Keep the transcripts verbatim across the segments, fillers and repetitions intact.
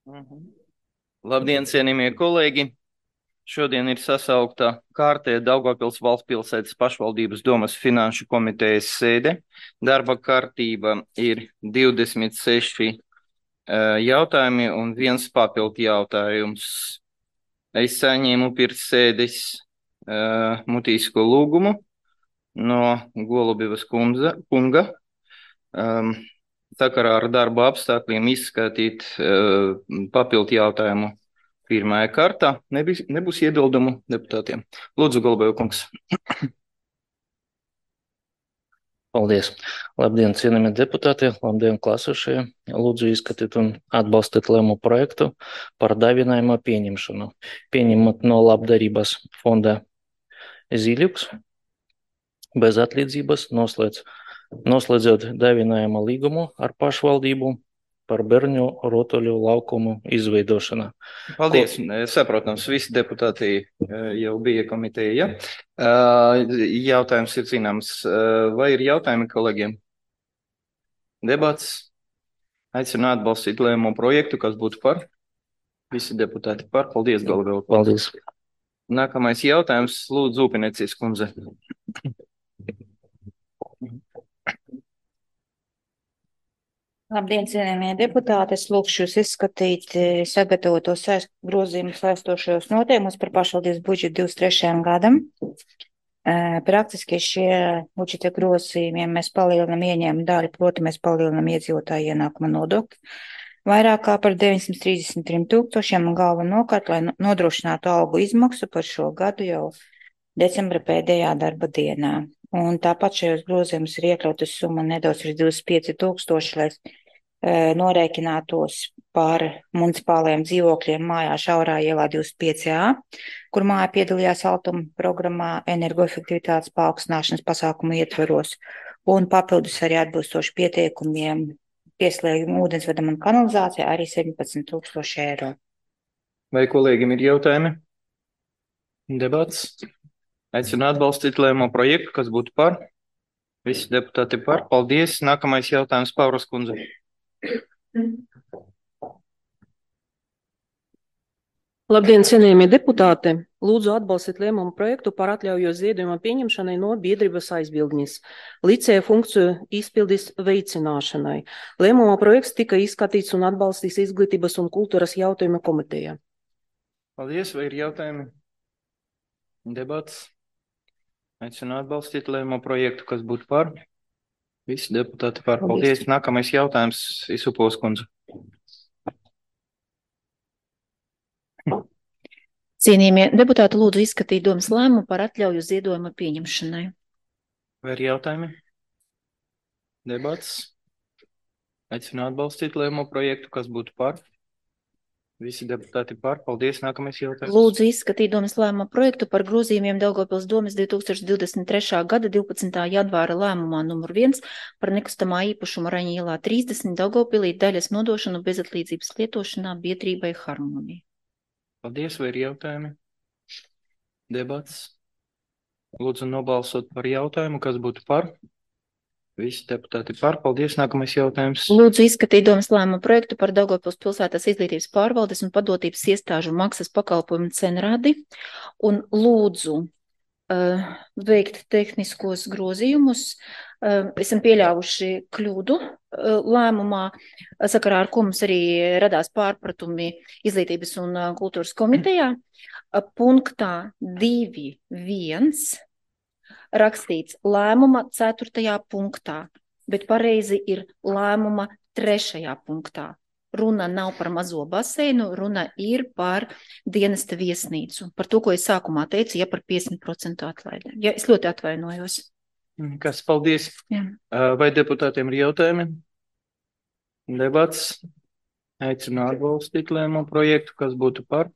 Mhm. Labdien, cienījamie kolēģi! Šodien ir sasaukta kārtē Daugavpils valsts pilsētas pašvaldības domas finanšu komitejas sēde. Darba kārtība ir divdesmit seši uh, jautājumi un viens papildu jautājums. Es saņēmu pirms sēdes uh, mutīsko lūgumu no Golubivas kundze, kunga. Um, sakarā ar darba apstākļiem izskatīt uh, papildu jautājumu pirmajā kārtā. Nebūs, nebūs iebildumu deputātiem. Lūdzu, Golubeva kungs. Paldies. Labdien, cienījamie deputāti, labdien, klāsošie. Lūdzu izskatīt un atbalstīt lēmumu projektu par dāvinājuma pieņemšanu. Pieņemot no labdarības fonda Zīļuks bez atlīdzības, noslēdz, noslēdzot dāvinājuma līgumu ar pašvaldību par bērnu rotaļu laukumu izveidošanu. Paldies. Ko... Saprotams, visi deputāti jau bija komiteja. Jautājums ir zināms. Vai ir jautājumi kolēģiem? Debats. Aicinu atbalstīt lēmumu projektu, kas būtu par. Visi deputāti par. Paldies, Golubeva. Paldies. Nākamais jautājums. Lūdzu, Upinecijas kundze. Labdien, cienījamie deputāti, es lūkšu jūs izskatīt sagatavotos saist, grozījumus saistošajos noteikumus par pašvaldības budžetu divdesmit trešajam gadam. Praktiski šie budžeta grozījumiem mēs palielinam ieņēmumu daļu, proti mēs palielinam iedzīvotāju ienākuma nodokli vairāk kā par deviņsimt trīsdesmit trim tūkstošiem un galvenokārt, lai nodrošinātu algu izmaksu par šo gadu jau decembra pēdējā darba dienā. Un tāpat šajos grozījumus ir iekļautas summa nedaudz ir divdesmit pieci tūkstoši, lai norēķinātos par municipālajiem dzīvokļiem mājā Šaurā ielā divdesmit pieci A, kur māja piedalījās Altuma programmā energoefektivitātes paaugstināšanas pasākumu ietveros, un papildus arī atbilstoši pieteikumiem pieslēgumu ūdensvedam un kanalizācijā arī septiņpadsmit tūkstoši eiro. Vai kolēģim ir jautājumi? Debats. Aicinu atbalstīt lēmumu projektu, kas būtu par. Visi deputāti par. Paldies. Nākamais jautājums Pauras kundze. Labdien, cienījamie deputāti! Lūdzu atbalstīt lēmumu projektu par atļauju ziedojuma pieņemšanai no biedrības aizbildnis licēja funkciju izpildes veicināšanai. Lēmuma projekts tika izskatīts un atbalstīts Izglītības un kultūras jautājuma komitejā. Paldies. Vai ir jautājumi? Debats. Aicinu atbalstīt lēmumu projektu, kas būtu par. Visi deputāti par. Paldies. Nākamais jautājums Isupovas kundze. Cienījamie deputāti, lūdzu izskatīt domas lēmumu par atļauju ziedojuma pieņemšanai. Vai ir jautājumi? Debats. Aicinu atbalstīt lēmumu projektu, kas būtu par. Visi deputāti par. Paldies. Nākamais jautājums. Lūdzu izskatīt domas lēmuma projektu par grozījumiem Daugavpils domes divi tūkstoši divdesmit trešā gada divpadsmitā janvāra lēmumā numur viens par nekustamā īpašuma Raņa ielā trīsdesmit Daugavpilī daļas nodošanu bezatlīdzības lietošanā biedrībai Harmonija. Paldies. Vai ir jautājumi? Debats. Lūdzu nobalsot par jautājumu, kas būtu par. Visi deputāti par. Paldies. Nākamais jautājums. Lūdzu izskatīt domas lēmuma projektu par Daugavpils pilsētas izglītības pārvaldes un padotības iestāžu maksas pakalpojumu cenradi un lūdzu uh, veikt tehniskos grozījumus. Uh, esam pieļāvuši kļūdu uh, lēmumā, sakarā ar ko mums arī radās pārpratumi Izglītības un uh, kultūras komitejā. Uh, punktā divi viens rakstīts lēmuma ceturtajā punktā, bet pareizi ir lēmuma trešajā punktā. Runa nav par mazo baseinu, runa ir par dienesta viesnīcu. Par to, ko es sākumā teicu, ja par piecdesmit procentu atlaidēm. Ja, es ļoti atvainojos. Kas, paldies. Jā. Vai deputātiem ir jautājumi? Debats. Aicinu atbalstīt lēmumu projektu, kas būtu par.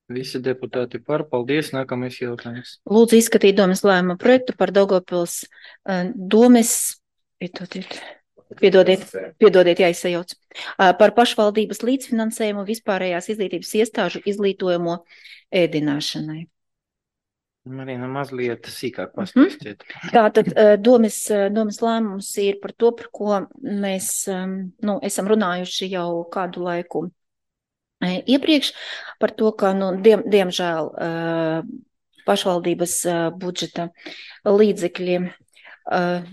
Visi deputāti par. Paldies. Nākamais jautājums. Lūdzu izskatīt domas lēmumu projektu par Daugavpils uh, domes, piedodiet, piedodiet, piedodiet, jāizsajauc, uh, par pašvaldības līdzfinansējumu vispārējās izglītības iestāžu izglītojumu ēdināšanai. Marina, mazliet sīkāk pastāstiet. Tātad eh, domas, eh, domas lēmums ir par to, par ko mēs em, nu, esam runājuši jau kādu laiku eh, iepriekš, par to, ka, nu, diem, diemžēl, eh, pašvaldības eh, budžeta līdzekļi eh,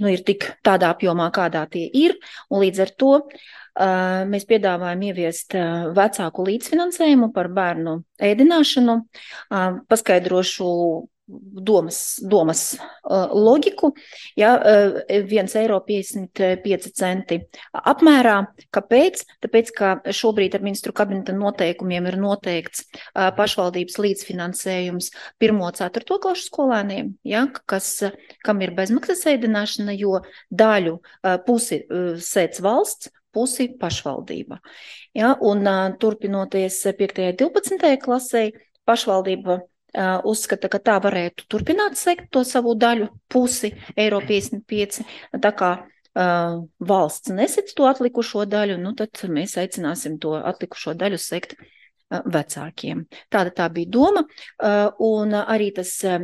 nu, ir tik tādā apjomā, kādā tie ir, un līdz ar to eh, mēs piedāvājam ieviest eh, vecāku līdzfinansējumu par bērnu ēdināšanu. Eh, Paskaidrošu domas, domas uh, loģiku, ja, uh, viens eiro piecdesmit pieci centi apmērā. Kāpēc? Tāpēc, ka šobrīd ar ministru kabineta noteikumiem ir noteikts uh, pašvaldības līdzfinansējums pirmo ceturto klašu skolēniem, ja, kas, kam ir bezmaksas ēdināšana, jo daļu uh, pusi uh, sēdz valsts, pusi pašvaldība. Ja, un uh, turpinoties piektajai divpadsmitajai klasei, pašvaldība Uh, uzskata, ka tā varētu turpināt sekt to savu daļu pusi, eiro piecdesmit pieci, tā kā uh, valsts nesec to atlikušo daļu, nu tad mēs aicināsim to atlikušo daļu sekt uh, vecākiem. Tāda tā bija doma, uh, un arī tas, uh,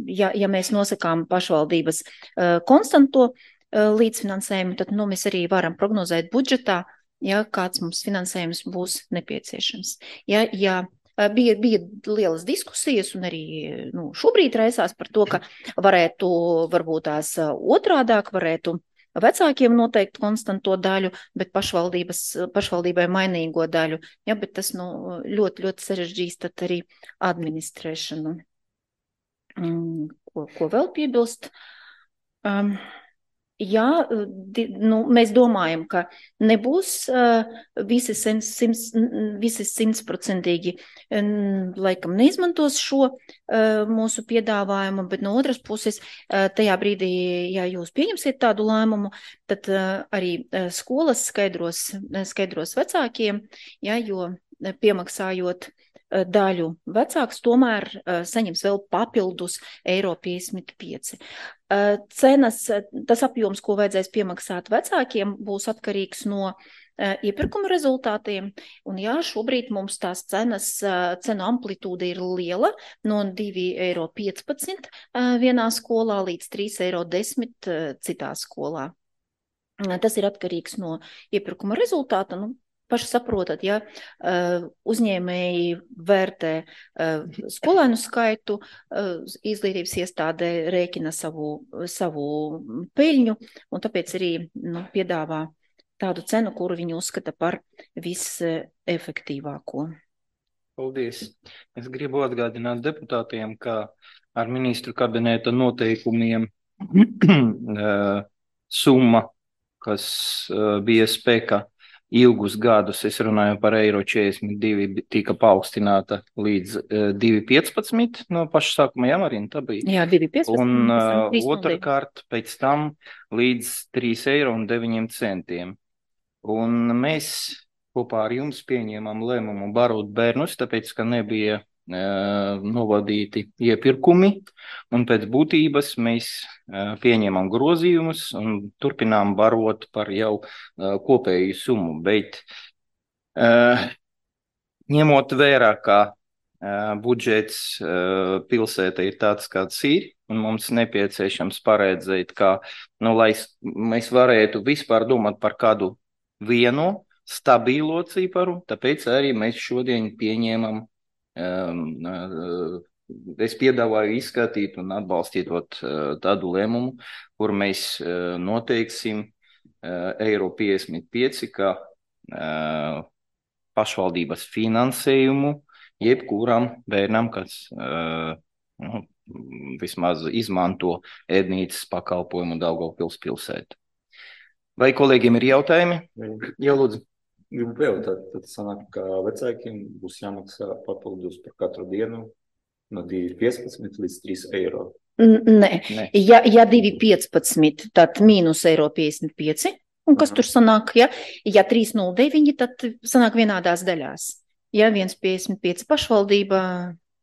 ja, ja mēs nosakām pašvaldības uh, konstanto uh, līdzfinansējumu, tad nu, mēs arī varam prognozēt budžetā, ja kāds mums finansējums būs nepieciešams. Ja, ja Bija, bija lielas diskusijas un arī nu, šobrīd raisās par to, ka varētu varbūt tās otrādāk, varētu vecākiem noteikt konstanto daļu, bet pašvaldībai mainīgo daļu. Ja, bet tas nu, ļoti, ļoti sarežģīs tad arī administrēšanu. Ko, ko vēl piebilst? Um, Jā, di, nu, mēs domājam, ka nebūs uh, visi, simts, visi simtprocentīgi um, laikam neizmantos šo uh, mūsu piedāvājumu, bet no otras puses uh, tajā brīdī, ja jūs pieņemsiet tādu lēmumu, tad uh, arī uh, skolas skaidros, skaidros vecākiem, ja, jo piemaksājot daļu vecāks tomēr uh, saņems vēl papildus eiro piecdesmit pieci. Uh, cenas, tas apjoms, ko vajadzēs piemaksāt vecākiem, būs atkarīgs no uh, iepirkuma rezultātiem, un jā, šobrīd mums tās cenas, uh, cenu amplitūda ir liela, no divi eiro piecpadsmit uh, vienā skolā līdz trīs eiro desmit uh, citā skolā. Uh, tas ir atkarīgs no iepirkuma rezultāta, nu, paši saprotat, ja uzņēmēji vērtē skolēnu skaitu, izglītības iestādē rēķina savu, savu peļņu, un tāpēc arī nu, piedāvā tādu cenu, kuru viņi uzskata par visefektīvāko. Paldies. Es gribu atgādināt deputātiem, ka ar ministru kabineta noteikumiem summa, kas bija spēkā ilgus gadus, es runāju par eiro četrdesmit divi, tika paaugstināta līdz uh, divi piecpadsmit no paša sākuma, jā, Marina, tā bija? Jā, divi piecpadsmit. Un uh, otrkārt pēc tam līdz trīs eiro un deviņiem centiem. Un mēs kopā ar jums pieņēmām lēmumu barot bērnus, tāpēc, ka nebija uh, novadīti iepirkumi, un pēc būtības mēs uh, pieņēmām grozījumus un turpinām barot par jau uh, kopēju summu, bet uh, ņemot vērā, ka uh, budžets uh, pilsēta ir tāds, kāds ir, un mums nepieciešams paredzēt, ka, nu, lai mēs varētu vispār domāt par kādu vienu stabilo ciparu, tāpēc arī mēs šodien pieņēmam, um, uh, es piedāvāju izskatīt un atbalstīt uh, tādu lēmumu, kur mēs uh, noteiksim uh, eiro piecdesmit pieci, kā uh, pašvaldības finansējumu jebkuram bērnam, kas uh, nu, vismaz izmanto ēdnīcas pakalpojumu Daugavpils pilsētu. Vai kolēģiem ir jautājumi? Jā, lūdzu. Gribu pajautāt, tad sanāk, ka vecākiem būs jāmaksā papildus par katru dienu no divi piecpadsmit līdz trīs eiro. Nē, Nē. Ja, ja divi piecpadsmit, tad mīnus eiro piecdesmit pieci, un kas Aha. tur sanāk, ja, ja trīs nulle deviņi, tad sanāk vienādās daļās. Ja viens piecdesmit pieci pašvaldība,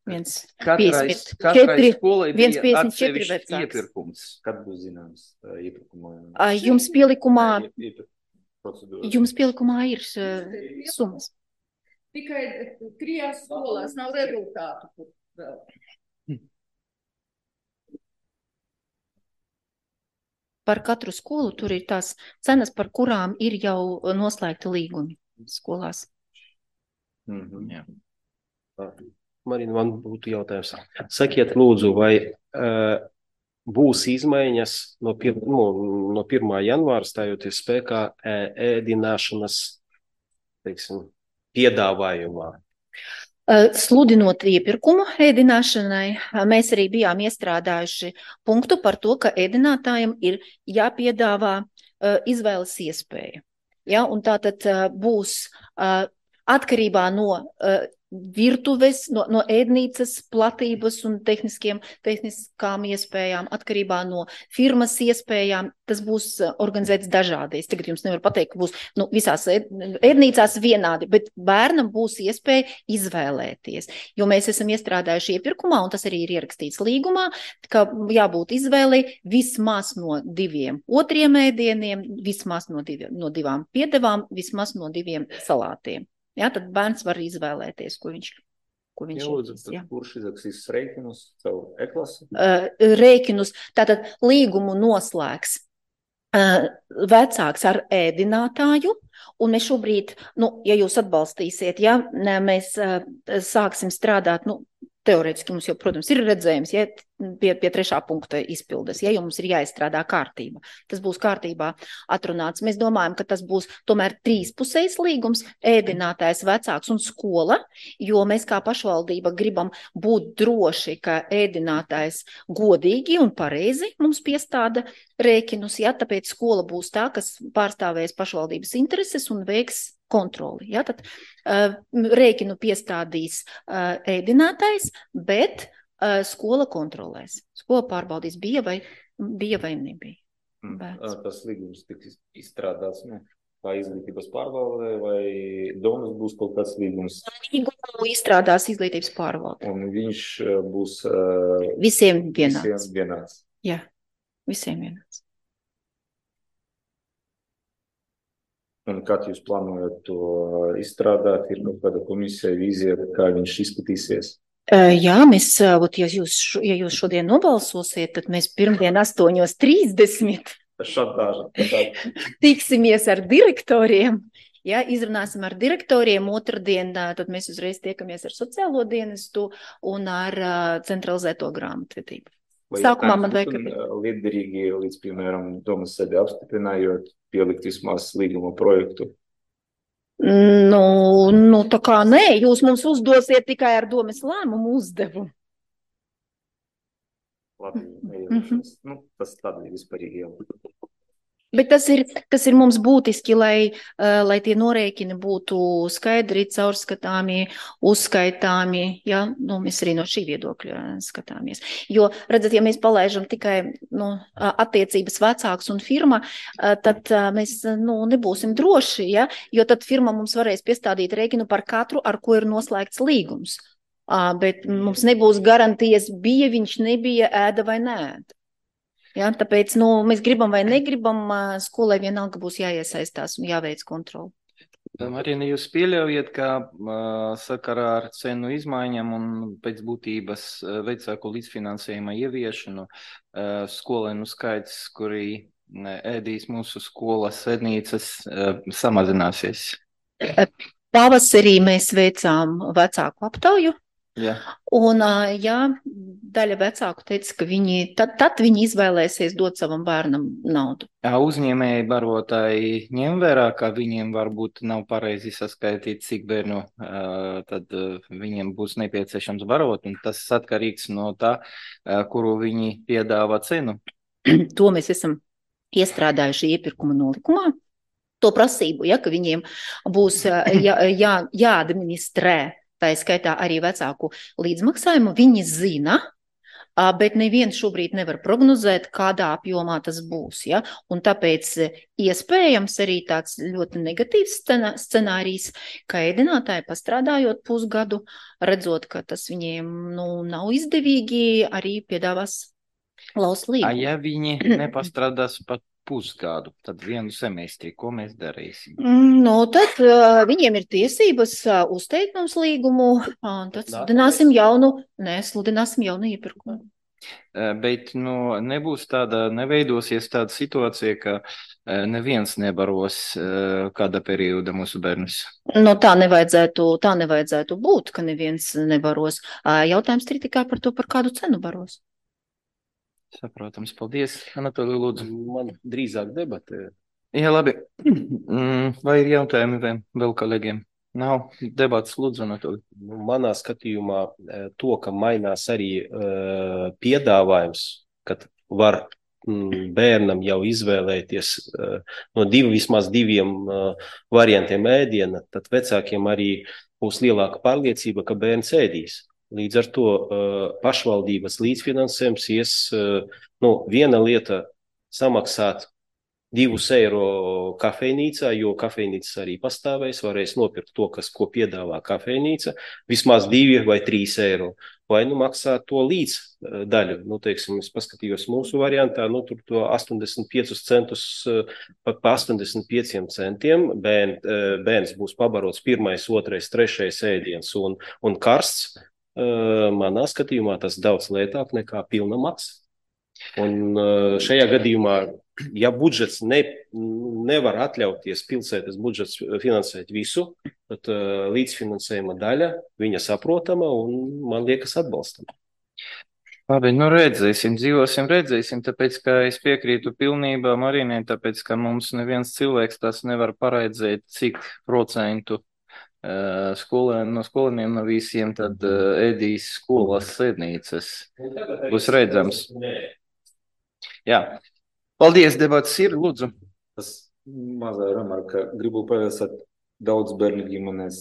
viens piecdesmit četri, viens piecdesmit četri vecāks. Iepirkums, kad būs zināms iepirkumā? Jums pielikumā, jums pielikumā ir uh, summas. Tikai trijās skolās nav rezultātu vēl. par katru skolu tur ir tās cenas, par kurām ir jau noslēgti līgumi skolās. Mhm. Jā. Marina, man būtu jautājums. Sakiet, lūdzu, vai uh, būs izmaiņas no, pir, no, no pirmā janvāra stājoties spēkā ēdināšanas, teiksim, piedāvājumā? Sludinot iepirkumu ēdināšanai, mēs arī bijām iestrādājuši punktu par to, ka ēdinātājiem ir jāpiedāvā izvēles iespēja. Ja, un tātad būs atkarībā no virtuves, no, no ēdnīcas platības un tehniskiem, tehniskām iespējām, atkarībā no firmas iespējām, tas būs organizēts dažādi. Es tagad jums nevaru pateikt, ka būs nu, visās ēdnīcās vienādi, bet bērnam būs iespēja izvēlēties. Jo mēs esam iestrādājuši iepirkumā, un tas arī ir ierakstīts līgumā, ka jābūt izvēlei vismaz no diviem otriem ēdieniem, vismaz no, divi, no divām piedevām, vismaz no diviem salātiem. Jā, tad bērns var izvēlēties, ko viņš, ko viņš Lūdzu, ir. Jā. Kurš izraksīs rēķinus savu e-klasi? Uh, rēķinus, tātad līgumu noslēgs uh, vecāks ar ēdinātāju, un mēs šobrīd, nu, ja jūs atbalstīsiet, ja mēs uh, sāksim strādāt, nu, teorētiski mums jau, protams, ir redzējums, ja pie, pie trešā punkta izpildes, ja, jo mums ir jāizstrādā kārtība. Tas būs kārtībā atrunāts. Mēs domājam, ka tas būs tomēr trīspusējs līgums, ēdinātājs, vecāks un skola, jo mēs kā pašvaldība gribam būt droši, ka ēdinātājs godīgi un pareizi mums piestāda rēķinus, ja, tāpēc skola būs tā, kas pārstāvēs pašvaldības intereses un veiks kontroli. Ja, tad uh, rēķinu piestādīs uh, ēdinātājs, bet uh, skola kontrolēs. Skola pārbaudīs, bija vai, bija vai nebija. Mm. Tas līgums tiks izstrādāts, ne? Kā izglītības pārvalde, vai domas būs kaut kāds līgums? Līgumu izstrādās izglītības pārvalde. Un viņš būs uh, visiem vienāds. Visiem vienāds. Jā, visiem vienāds. Un kad jūs plānojat to izstrādāt, ir kaut kāda komisija, vīzija, kā viņš izskatīsies? Jā, mēs, ja jūs, ja jūs šodien nobalsosiet, tad mēs pirmdien astoņos trīsdesmit tiksimies ar direktoriem. Ja, izrunāsim ar direktoriem, otrdien, tad mēs uzreiz tiekamies ar sociālo dienestu un ar centralizēto grāmatvedību. Sākumā man vajag... Liederīgi līdz, piemēram, domas sēdē apstiprinājot, pielikt vismaz līguma projektu? Nu, nu, tā kā nē, jūs mums uzdosiet tikai ar domas lēmumu uzdevumu. Labi, mm-hmm. Nu, tas tādi vispārīgi jau. Bet tas ir, tas ir mums būtiski, lai, uh, lai tie norēķini būtu skaidri, caurskatāmi, uzskaitāmi, ja, nu, mēs arī no šī viedokļa skatāmies. Jo, redzat, ja mēs palaižam tikai nu, attiecības vecāks un firma, uh, tad uh, mēs nu, nebūsim droši, ja, jo tad firma mums varēs piestādīt rēķinu par katru, ar ko ir noslēgts līgums. Uh, bet mums nebūs garantijas, bija viņš, nebija, ēda vai neēda. Ja, tāpēc nu, mēs gribam vai negribam, skolai vienalga būs jāiesaistās un jāveic kontroli. Marina, jūs pieļaujiet, ka uh, sakarā ar cenu izmaiņām un pēc būtības uh, vecāku līdzfinansējuma ieviešanu uh, skolēnu skaits, kuri ēdīs mūsu skolas ēdnīcas, uh, samazināsies? Pavasarī mēs veicām vecāku aptauju. Jā. Un, jā, daļa vecāku teica, ka viņi, tad, tad viņi izvēlēsies dot savam bērnam naudu. Jā, uzņēmēji barotāji ņem vērā, ka viņiem varbūt nav pareizi saskaitīt, cik bērnu uh, tad uh, viņiem būs nepieciešams barot, un tas atkarīgs no tā, uh, kuru viņi piedāvā cenu. To mēs esam iestrādājuši iepirkuma nolikumā. To prasību, ja, ka viņiem būs jā, jā, jāadministrē. Tā ir skaitā arī vecāku līdzmaksājumu, viņi zina, bet neviens šobrīd nevar prognozēt, kādā apjomā tas būs. Ja? Un tāpēc iespējams arī tāds ļoti negatīvs scenārijs, ka ēdinātāji pastrādājot pusgadu, redzot, ka tas viņiem nu, nav izdevīgi, arī piedāvās laust līgumu. Ja viņi nepastrādās pat pusgadu, tad vienu semestri, ko mēs darīsim? No, tad uh, viņiem ir tiesības uh, uzteikt mums līgumu, un tad sludināsim jaunu, nē, sludināsim jaunu iepirkumu. Bet nu, nebūs tāda, neveidosies tāda situācija, ka neviens nebaros kāda perioda mūsu bērnus. Nu, tā nevajadzētu, tā nevajadzētu būt, ka neviens nebaros. Jautājums ir tikai par to, par kādu cenu baros. Saprotams, paldies. Anatolij, lūdzu. Man drīzāk debatē. Jā, labi. Vai ir jautājumi vēl kolēģiem? Nav debats, lūdzu, Anatolij. Manā skatījumā to, ka mainās arī uh, piedāvājums, kad var mm, bērnam jau izvēlēties uh, no divi, vismaz diviem uh, variantiem ēdiena, tad vecākiem arī būs lielāka pārliecība, ka bērns ēdīs. Līdz ar to uh, pašvaldības līdzfinansējums ies, uh, nu, viena lieta samaksāt divus eiro kafejnīcā, jo kafejnīcas arī pastāvēs, varēs nopirkt to, kas, ko piedāvā kafejnīca, vismaz divi vai trīs eiro, vai nu maksāt to līdz daļu. Nu, teiksim, es paskatījos mūsu variantā, nu, tur to astoņdesmit piecus centus pa, pa astoņdesmit pieciem centiem, bērn, bērns būs pabarots pirmais, otrais, trešais ēdiens un, un karsts. Manā skatījumā tas daudz lētāk nekā pilna maksa. Un šajā gadījumā, ja budžets ne, nevar atļauties pilsētas budžets finansēt visu, tad uh, līdzfinansējuma daļa, viņa saprotama un man liekas atbalstama. Labi, nu redzēsim, dzīvosim, redzēsim, tāpēc, ka es piekrītu pilnībā Marinai, tāpēc, ka mums neviens cilvēks tas nevar paredzēt, cik procentu uh, skolēn, no skolēniem no visiem tad uh, ēdīs skolas sēdnīcas. Būs redzams. Jā. Paldies, debats ir, lūdzu. Tas mazā remarka, gribu pievērsāt daudz bērnu ģimenes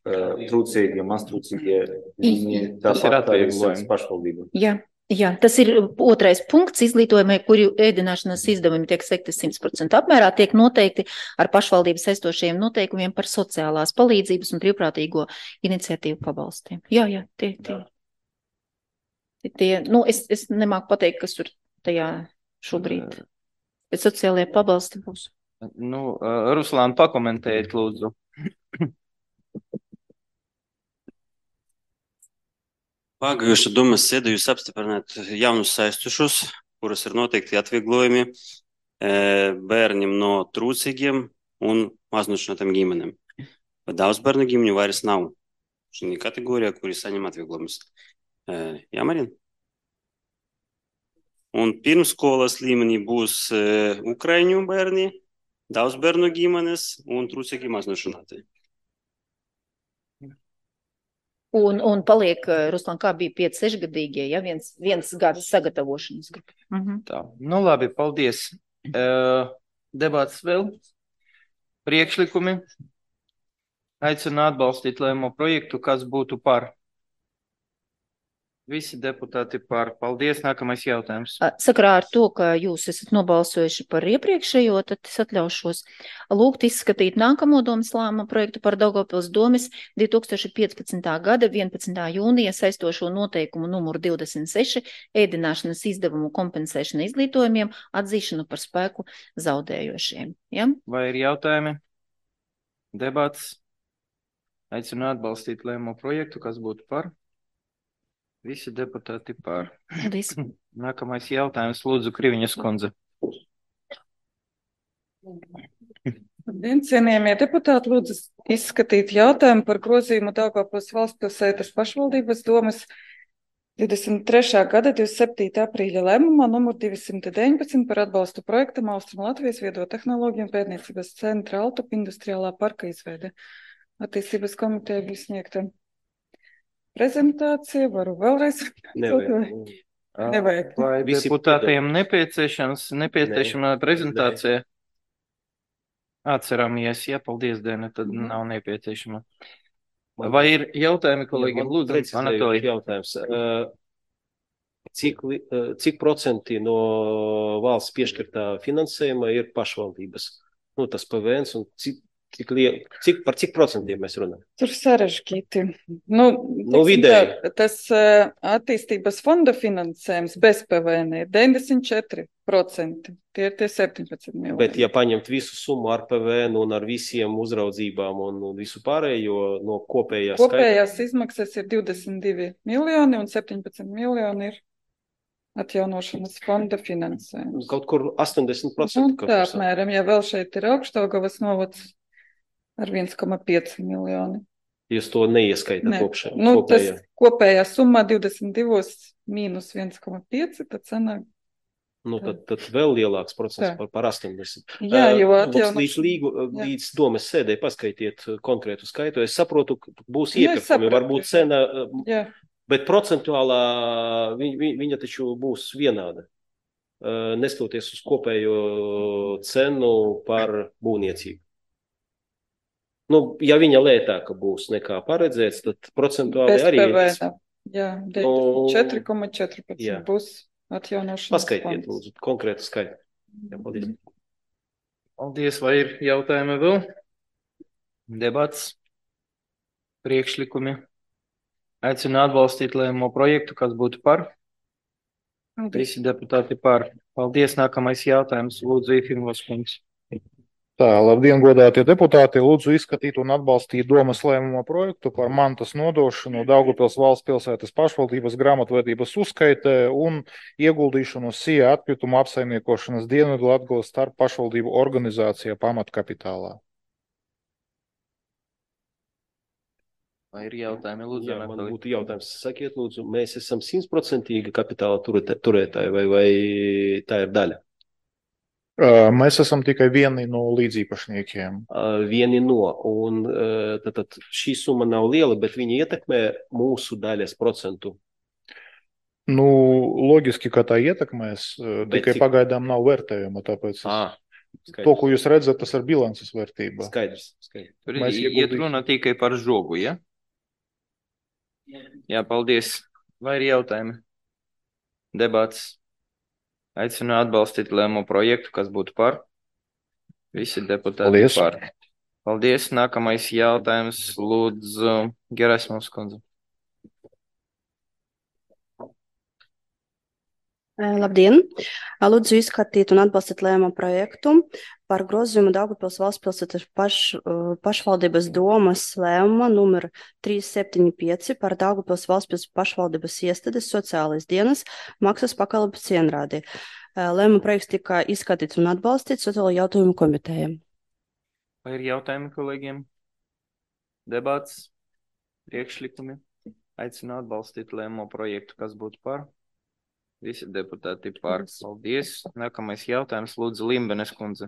uh, trūcīgie, maztrūcīgie, viņi tāpat kā ir pašvaldība. Jā, jā, tas ir otrais punkts izglītojumai, kuri ēdināšanas izdevumi tiek sekti simt procenti apmērā, tiek noteikti ar pašvaldības saistošajiem noteikumiem par sociālās palīdzības un brīvprātīgo iniciatīvu pabalstiem. Jā, jā, tie, tie. tie nu, es, es nemāku pateikt, kas tur tajā šobrīd. Bet sociālajie pabalsti būs. Nu, Ruslāna, pakomentējiet, lūdzu. Pagājušā domas sēdē jūs apstiprināt jaunus saistošus, kuras ir noteikti atvieglojumi bērniem no trūcīgiem un maznošinātiem ģimenēm. Bet daudz bērnu ģimeņu vairs nav šī kategorijā, kuri saņem atvieglojumus. Jā, Marina? Un pirmskolas līmenī būs uh, ukraiņu bērni, daudz bērnu ģimenes un trūcīgi maznošināti. Un, un paliek, Ruslan, kā bija pieci sešgadīgie, ja viens, viens gads sagatavošanas grupa. Mhm. Tā, nu labi, paldies. Uh, debats vēl. Priekšlikumi. Aicinu atbalstīt lēmumu projektu, kas būtu par. Visi deputāti par. Paldies. Nākamais jautājums. Sakarā ar to, ka jūs esat nobalsojuši par iepriekšējo, tad es atļaušos lūgt izskatīt nākamo domas lēmumu projektu par Daugavpils domes divi tūkstoši piecpadsmitā gada vienpadsmitā jūnija saistošo noteikumu numuru divdesmit seši ēdināšanas izdevumu kompensēšana izglītojumiem atzīšanu par spēku zaudējošiem. Ja? Vai ir jautājumi? Debats. Aicinu atbalstīt lēmumu projektu, kas būtu par. Visi deputāti par. Paldies. Nākamais jautājums, lūdzu, Kriviņas kundze. Labdien, cienījamie deputāti, lūdzu izskatīt jautājumu par grozījumu Daugavpils valstspilsētas pašvaldības domes divdesmit trešā gada divdesmit septītā aprīļa lēmumā numur divsimt deviņpadsmit par atbalstu projektam Austrum Latvijas viedo tehnoloģiju un pētniecības centra Altup industriālā parka izveide. Attīstības komiteja bija sniegta prezentācija, varu vēlreiz. Nevajag. Nevajag. Vai deputātiem nepieciešams, nepieciešama ne. prezentācija? Atceramies, ja, paldies, Dēne, tad mm. nav nepieciešama. Vai ir jautājumi, kolēģiem? Lūdzu, Anatolij. Jautājums. Cik, cik procenti no valsts piešķirtā finansējuma ir pašvaldības? Nu, tas P V N un cik Cik, cik, par cik procentiem mēs runājam? Tur sarežģīti. Nu, nu vidēji. Tā, tas uh, attīstības fonda finansējums bez P V N ir deviņdesmit četri procenti. Tie ir tie septiņpadsmit miljoni. Bet ja paņemt visu summu ar P V N un ar visiem uzraudzībām un visu pārējo no kopējās Kopējās skaita... izmaksas ir divdesmit divi miljoni un septiņpadsmit miljoni ir atjaunošanas fonda finansējums. Kaut kur astoņdesmit procenti. Nu, tā apmēram, ja vēl šeit ir Augšdaugavas novads ar viens komats pieci miljoni. Jūs to neieskaitāt Ne. kopšā? Nu, tas kopējā? kopējā summā divdesmit divi mīnus viens komats pieci, tad sanāk. Nu, tad, tad vēl lielāks procents Tā. par, par astoņdesmit. Jā, jo Uh, atjaunošana- līdz, līgu, Jā. līdz domas sēdē paskaitiet uh, konkrētu skaitu. Es saprotu, ka būs Nu, es iepirkumi, saprotu. varbūt cena, uh, Jā, bet procentuālā viņa, viņa, viņa taču būs vienāda. Uh, Nestoties uz kopējo cenu par būvniecību. Nu, ja viņa lētāka būs nekā paredzēts, tad procentuāli bez arī P ir. V N. Jā, četri komats četrpadsmit Jā. būs atjaunošanas Paskaitiet, fonds. lūdzu, konkrētu skaitu. Jā, paldies. Paldies, vai ir jautājumi vēl? Debats, priekšlikumi. Aicinu atbalstīt lēmumu projektu, kas būtu par. Visi deputāti par. Paldies, nākamais jautājums. Lūdzu, Ifimos kungs. Tā, labdien, godātie deputāti! Lūdzu izskatīt un atbalstīt domas lēmumu projektu par mantas nodošanu Daugavpils valsts pilsētas pašvaldības grāmatvedības uzskaitē un ieguldīšanu S I A atkritumu apsaimniekošanas Dienvidlatgales starp pašvaldību organizācijā pamatkapitālā. Vai ir jautājumi? Lūdzu, Jā, man Anatolij. būtu jautājums. Sakiet, lūdzu, mēs esam simtprocentīgi kapitāla turētā- turētāji vai, vai tā ir daļa? Ā, Mēs esam tikai vieni no līdzīpašniekiem. Uh, Vieni no, un uh, tad, tad šī summa nav liela, bet viņa ietekmē mūsu daļas procentu. Nu, loģiski, ka tā ietekmēs, ā, Bet tikai cik- pagaidām nav vērtējuma, tāpēc es, Ah, to, ko jūs redzat, tas ir bilances vērtība. Skaidrs, skaidrs. Tur Mēs iet ieguldīsim. runa tikai par žogu, ja? Jā, paldies. Vai ir jautājumi? Debats. Aicinu atbalstīt lēmumu projektu, kas būtu par. Visi deputāti Paldies. par. Paldies. Nākamais jautājums. Lūdzu, Gerasimovs kundze. Labdien! Lūdzu izskatīt un atbalstīt lēmumu projektu par grozījumu Daugavpils valsts pilsētas paš, pašvaldības domas lēmuma numur trīs septiņi pieci par Daugavpils valsts pilsētas pašvaldības iestādes sociālais dienas maksas pakalpojumu cienrādi. Lēmuma projekts tika izskatīts un atbalstīts sociālo jautājumu komitejām. Vai ir jautājumi kolēģiem? Debats. Priekšlikumi. Aicinu atbalstīt lēmumu projektu, kas būtu par. Visi deputāti par. Paldies. Nākamais jautājums. Lūdzu, Limbenes kundze.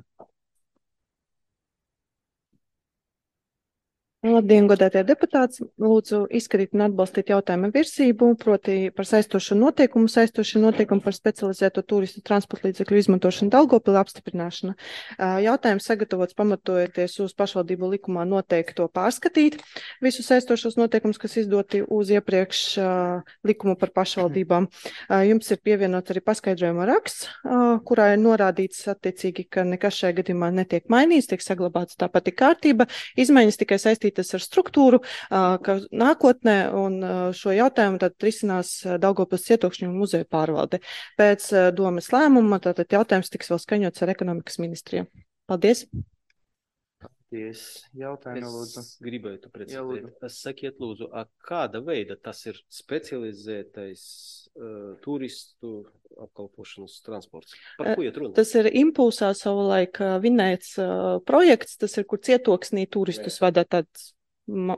Labdien, godātie deputāti! Lūdzu izskatīt un atbalstīt jautājumu virsību, proti par saistošu noteikumu, saistošu noteikumu par specializēto turistu transporta līdzekļu izmantošanu Daugavpilī apstiprināšana. Jautājums sagatavots pamatojoties uz pašvaldību likumā noteikto pārskatīt visus saistošos noteikumus, kas izdoti uz iepriekš likumu par pašvaldībām. Jums ir pievienots arī paskaidrojuma raksts, kurā ir norādīts attiecīgi, ka nekas šajā gadījumā netiek mainīts, tiek saglabāts tā pati kārtība, izmaiņas tikai saistītas ar struktūru, ka nākotnē un šo jautājumu tad risinās Daugavpils cietokšņu un muzeju pārvalde. Pēc domas lēmuma tātad jautājums tiks vēl skaņots ar ekonomikas ministriju. Paldies! Paldies. Jautājumi, lūdzu. Es gribētu Jā, precizēt. lūdzu. Es sakiet, lūdzu, a kāda veida tas ir specializētais uh, turistu apkalpošanas transports? Par ko iet runa? Tas ir impulsā savulaik ā, vinēts ā, projekts, tas ir, kur cietoksnī turistus vada tāds, ma,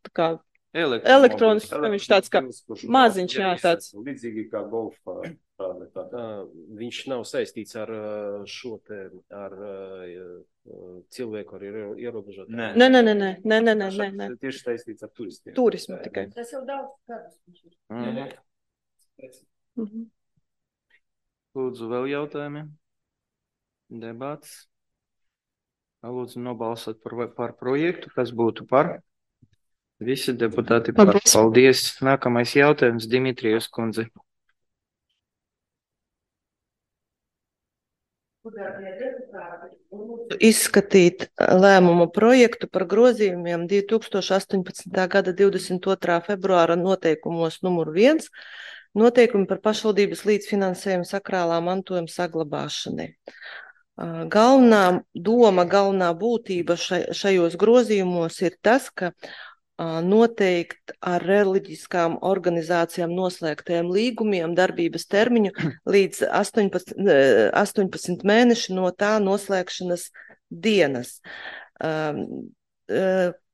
tā kā elektronisks, viņš tāds kā maziņš, jā, tāds. Līdzīgi kā golfa. Tāda, tā. Uh, viņš nav saistīts ar uh, šo te, ar uh, cilvēku ar iero- ierobežotām. Nē. Nē, nē, nē, nē, nē, nē, nē, nē, nē. Tieši saistīts ar turistiem. Turismu tikai. Tas jau daudz gadus. Mhm. Mhm. Lūdzu, vēl jautājumi? Debats. Lūdzu, nobalsot par, par projektu, kas būtu par. Visi deputāti par. Paldies. Paldies. Nākamais jautājums, Dimitrijus kundze. Izskatīt lēmumu projektu par grozījumiem divi tūkstoši astoņpadsmitā gada divdesmit otrā februāra noteikumos numur viens, noteikumi par pašvaldības līdzfinansējumu sakrālā mantojuma saglabāšanai. Ā, Galvenā doma, galvenā būtība šai- šajos grozījumos ir tas, ka noteikt ar reliģiskām organizācijām noslēgtajiem līgumiem darbības termiņu līdz astoņpadsmit mēneši no tā noslēgšanas dienas.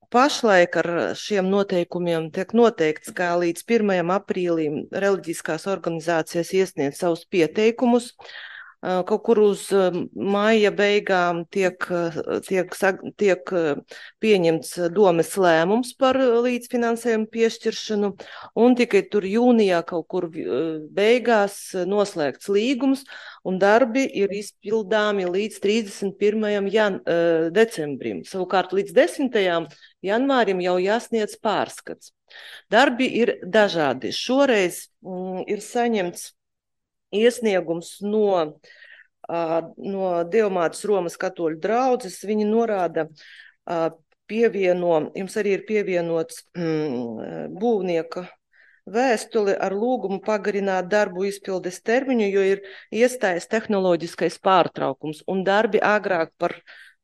Pašlaik ar šiem noteikumiem tiek noteikts, ka līdz pirmajam aprīlim reliģiskās organizācijas iesniedz savus pieteikumus. Kaut kur uz maija beigām tiek, tiek, tiek pieņemts domes lēmums par līdzfinansējumu piešķiršanu, un tikai tur jūnijā kaut kur beigās noslēgts līgums, un darbi ir izpildāmi līdz trīsdesmit pirmajam jan, decembrim. Savukārt līdz desmitajam janvārim jau jāsniedz pārskats. Darbi ir dažādi. Šoreiz mm, ir saņemts iesniegums no, no Dievmātes Romas katoļu draudzes. Viņi norāda, pievieno, jums arī ir pievienots mm, būvnieka vēstuli ar lūgumu pagarināt darbu izpildes termiņu, jo ir iestājies tehnoloģiskais pārtraukums un darbi agrāk par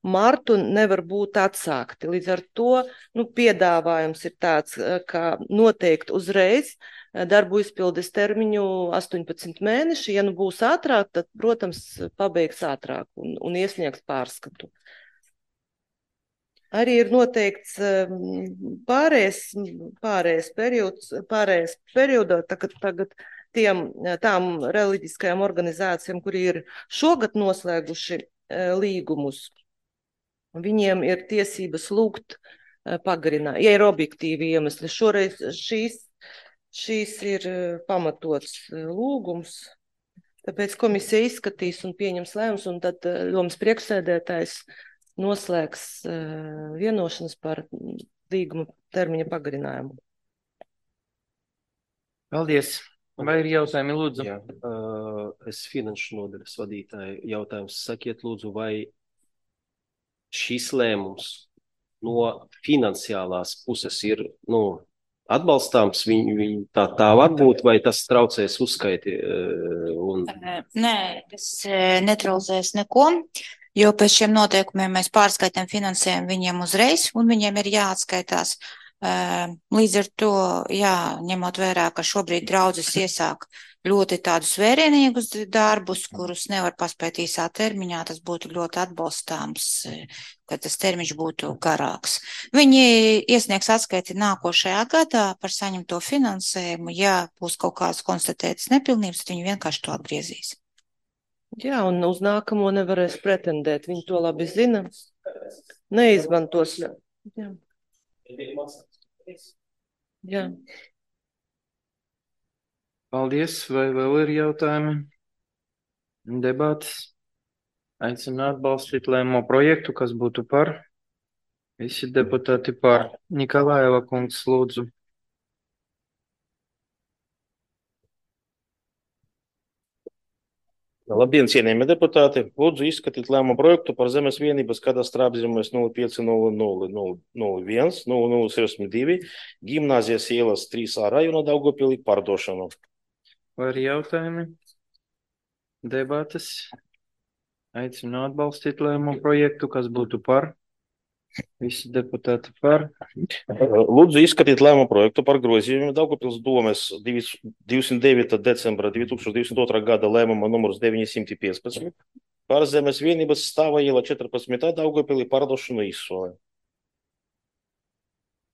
martu nevar būt atsākti. Līdz ar to nu, piedāvājums ir tāds, ka noteikti uzreiz darbu izpildes termiņu astoņpadsmit mēneši. Ja nu būs ātrāk, tad, protams, pabeigs ātrāk un, un iesniegs pārskatu. Arī ir noteikts pārējais, pārējais periods, pārējais periodā, tagad, tagad tiem, tām reliģiskajām organizācijām, kuri ir šogad noslēguši līgumus, viņiem ir tiesības lūgt pagarināt, ja ir objektīvi iemesli. Šoreiz šīs Šīs ir pamatots lūgums, tāpēc komisija izskatīs un pieņems lēmums, un tad domas priekšsēdētājs noslēgs vienošanas par līguma termiņa pagarinājumu. Paldies. Vai ir jautājumi, lūdzu? Jā, es finanšu nodaļas vadītāju jautājums. Sakiet, lūdzu, vai šis lēmums no finansiālās puses ir, nu, atbalstāms, viņi, viņi tā, tā var būt, vai tas traucēs uzskaiti? Un... Nē, tas netraucēs neko, jo pēc šiem noteikumiem mēs pārskaitām finansējumu viņiem uzreiz, un viņiem ir jāatskaitās. Līdz ar to, jā, ņemot vērā, ka šobrīd draudzes iesāk ļoti tādus vērienīgus darbus, kurus nevar paspēt īsā termiņā, tas būtu ļoti atbalstāms, ka tas termiņš būtu garāks. Viņi iesniegs atskaiti nākošajā gadā par saņemto finansējumu, ja būs kaut kādas konstatētas nepilnības, tad viņi vienkārši to atgriezīs. Jā, un uz nākamo nevarēs pretendēt, viņi to labi zina, neizmantos. Jā. Jā. Paldies. Vai vēl ir jautājumi? Debates. Aicinu atbalstīt lēmumu projektu, kas būtu par. Visi deputāti par. Nikolājeva kungs, lūdzu. Labdien, cienījamie deputāti! Lūdzu izskatīt lēmumu projektu par zemes vienības kadastra apzīmēs nulle pieci nulle nulle nulle viens nulle nulle sešdesmit divi Gimnāzijas ielas trīs A rajona Daugavpilī pārdošanu. Vai ir jautājumi? Debates. Aicinu atbalstīt lēmumu projektu, kas būtu par. Visi deputāti par. Lūdzu izskatīt lēmumu projektu par grozījumiem Daugavpils domes divdesmit devītā decembra divi tūkstoši divdesmit otrā gada lēmuma numurs deviņsimt piecpadsmit par zemes vienības stāva iela četrpadsmit Daugavpilī pārdošanu izsolē.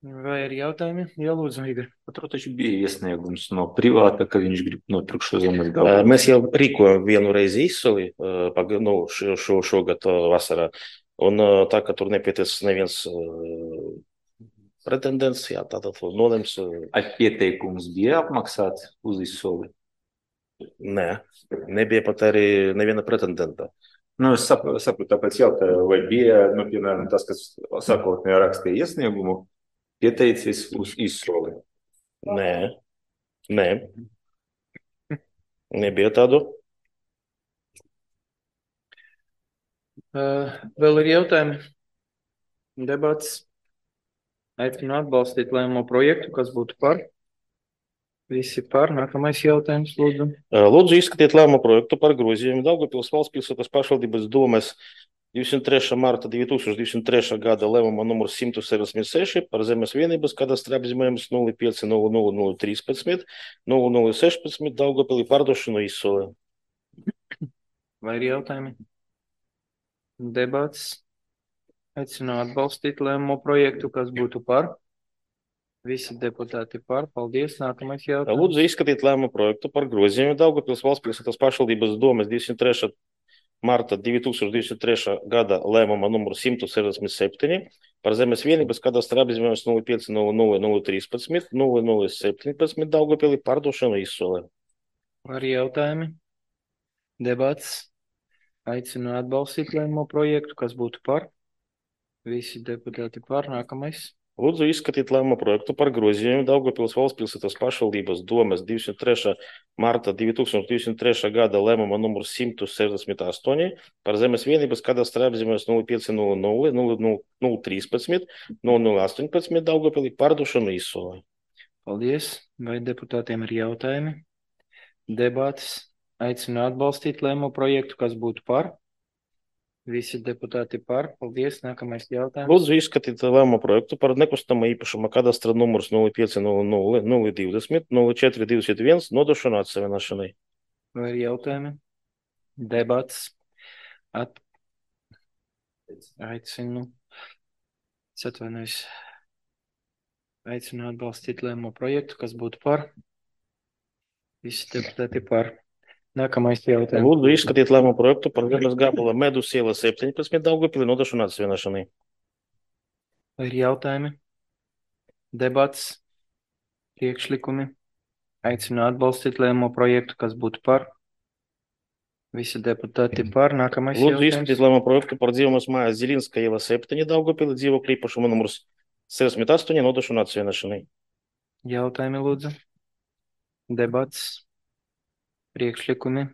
Vai ir jautājumi? Jā, lūdzu, Igor. Tur taču bija iesniegums no privāta, ka viņš grib nopirkt šo zemes Daugavpilī. Mēs jau rīkojam vienu reizi izsoli nu, šo, šo, šogad vasarā. Un tā, ka tur nepieties neviens uh, pretendents, jā, tātad nolems. Uh, Ai pieteikums bija apmaksāts uz izsoli? Nē, nebija pat arī neviena pretendenta. Nu, es saprotu, sapratu, tāpēc jautāju, vai bija, nu, piemēram, tas, kas sākotnējā rakstīja iesniegumu, pieteicis uz izsoli? Nē, nē, nebija tādu. Uh, vēl ir jautājumi? Debats. Aicinu atbalstīt lēmumu projektu, kas būtu par. Visi par. Nākamais jautājums, lūdzu. Lūdzu izskatiet lēmumu projektu par grozījumu Daugavpils valsts pilsētas pašvaldības domes divdesmit trešā marta divi tūkstoši divdesmit trešā gada lēmuma numurs simt sešdesmit seši par zemes vienības kadastra apzīmējumus nulle pieci nulle nulle nulle trīspadsmit nulle nulle sešpadsmit Daugavpilī pārdošanu izsolē. Vai ir jautājumi? Debats. Aicinu atbalstīt lēmumu projektu, kas būtu par. Visi deputāti par. Paldies. Nākamais jautājums. Lūdzu izskatīt lēmumu projektu par grozījumu Daugavpils valsts pilsētas pašvaldības domes divdesmit trešā marta divi tūkstoši divdesmit trešā gada lēmuma numuru simt sešdesmit septiņi par zemes vienības kadastra apzīmējumus nulle pieci nulle nulle nulle trīspadsmit nulle nulle septiņpadsmit Daugavpilī pārdošanu izsolē. Vai ir jautājumi? Debats. Aicinu atbalstīt lēmumu projektu, kas būtu par. Visi deputāti par. Nākamais. Lūdzu izskatīt lēmumu projektu par grozījumu Daugavpils valsts pilsētas pašvaldības domes divdesmit trešā marta divi tūkstoši divdesmit trešā gada lēmuma numuru simt sešdesmit astoņi par zemes vienības kadastra apzīmējumus nulle pieci nulle nulle nulle nulle trīspadsmit nulle nulle astoņpadsmit Daugavpilī pārdošanu izsolē. Paldies. Vai deputātiem ir jautājumi? Debats. Aicinu atbalstīt lēmumu projektu, kas būtu par. Visi deputāti par. Paldies. Nākamais jautājums. Lūdzu izskatīt lēmumu projektu par nekustamo īpašuma kadastra numurs nulle pieci nulle nulle nulle divdesmit nulle četri divdesmit viens nodošanu atsevienošanai. Vai ir jautājumi? Debats. At... Aicinu. Es atvainojos. Aicinu atbalstīt lēmumu projektu, kas būtu par. Visi deputāti par. Nākamais jautājums. Lūdzu izskatīt lēmumu projektu par zemes gabala Medus iela septiņpadsmit Daugavpilī nodošanu atsevienošanai. Vai ir jautājumi? Debats. Priekšlikumi. Aicinu atbalstīt lēmumu projektu, kas būtu par. Visi deputāti par. Nākamais Lūdzu jautājums. izskatīt lēmumu projektu par dzīvojamas mājas Zilinska iela septiņi Daugavpilī dzīvokļu īpašuma numurs sešdesmit astoņi nodošanu atsevienošanai. Jautājumi lūdzu. Debats. Priekšlikumi.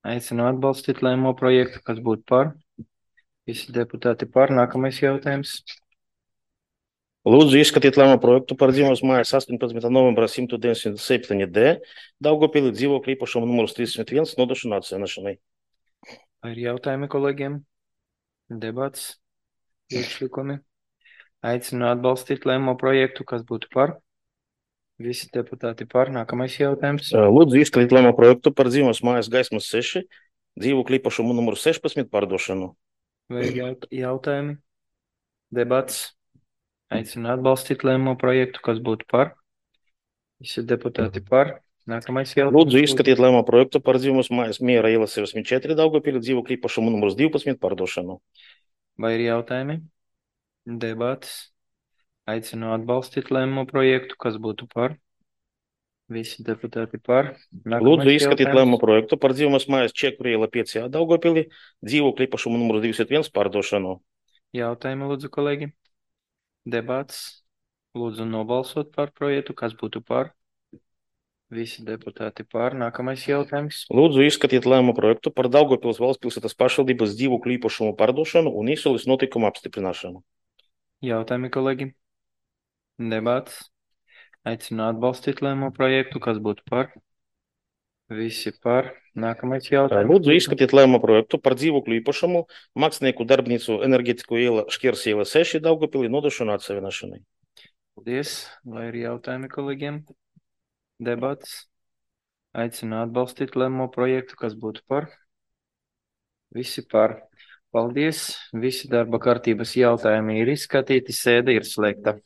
Aicinu atbalstīt lēmumu projektu, kas būtu par. Visi deputāti par. Nākamais jautājums. Lūdzu izskatīt lēmumu projektu par dzīvojamas mājas astoņpadsmitā novembrā simt deviņdesmit septiņi D Daugavpilī dzīvokļu īpašuma numurs trīsdesmit viens nodošanu atsevienošanai. Vai ir jautājumi kolēģiem? Debats. Priekšlikumi. Aicinu atbalstīt lēmumu projektu, kas būtu par. Visi deputāti par. Nākamais jautājums. Lūdzu izskatīt lēmumu projektu par dzīvojamas mājas Gaismas seši dzīvokļu īpašumu numuru sešpadsmit pārdošanu. Vai ir jaut jautājumi? Debats. Aicinu atbalstīt lēmumu projektu, kas būtu par. Visi deputāti par. Nākamais jautājums. Lūdzu izskatīt lēmumu projektu par dzīvojamas mājas Miera iela sešdesmit četri Daugavpilī dzīvokļu īpašumu numurs divpadsmit pārdošanu. Vai ir jautājumi? Debats. Aicinu atbalstīt lēmumu projektu, kas būtu par. Visi deputāti par. Nākamais Lūdzu izskatīt jautājums. lēmumu projektu par dzīvojamas mājas Čekuru iela pieci A Daugavpilī dzīvokļu īpašumu numurs divdesmit viens pārdošanu. Jautājumi lūdzu kolēģi. Debats. Lūdzu nobalsot par projektu, kas būtu par. Visi deputāti par. Nākamais jautājums. Lūdzu izskatīt lēmumu projektu par Daugavpils valsts pilsētas pašvaldības dzīvokļu īpašumu pārdošanu un izsoles notikumu apstiprināšanu. Jautājumi kolēģi. Debats. Aicinu atbalstīt lēmumu projektu, kas būtu par. Visi par. Nākamais jautājums. Lūdzu izskatīt lēmumu projektu par dzīvokļu īpašumu mākslinieku darbnīcu enerģetiku iela Škirs iela seši Daugavpilī nodošanu atsevienošanai. Paldies. Vai ir jautājumi kolēģiem? Debats. Aicinu atbalstīt lēmumu projektu, kas būtu par. Visi par. Paldies. Visi darba kārtības jautājumi ir izskatīti. Sēde ir slēgta.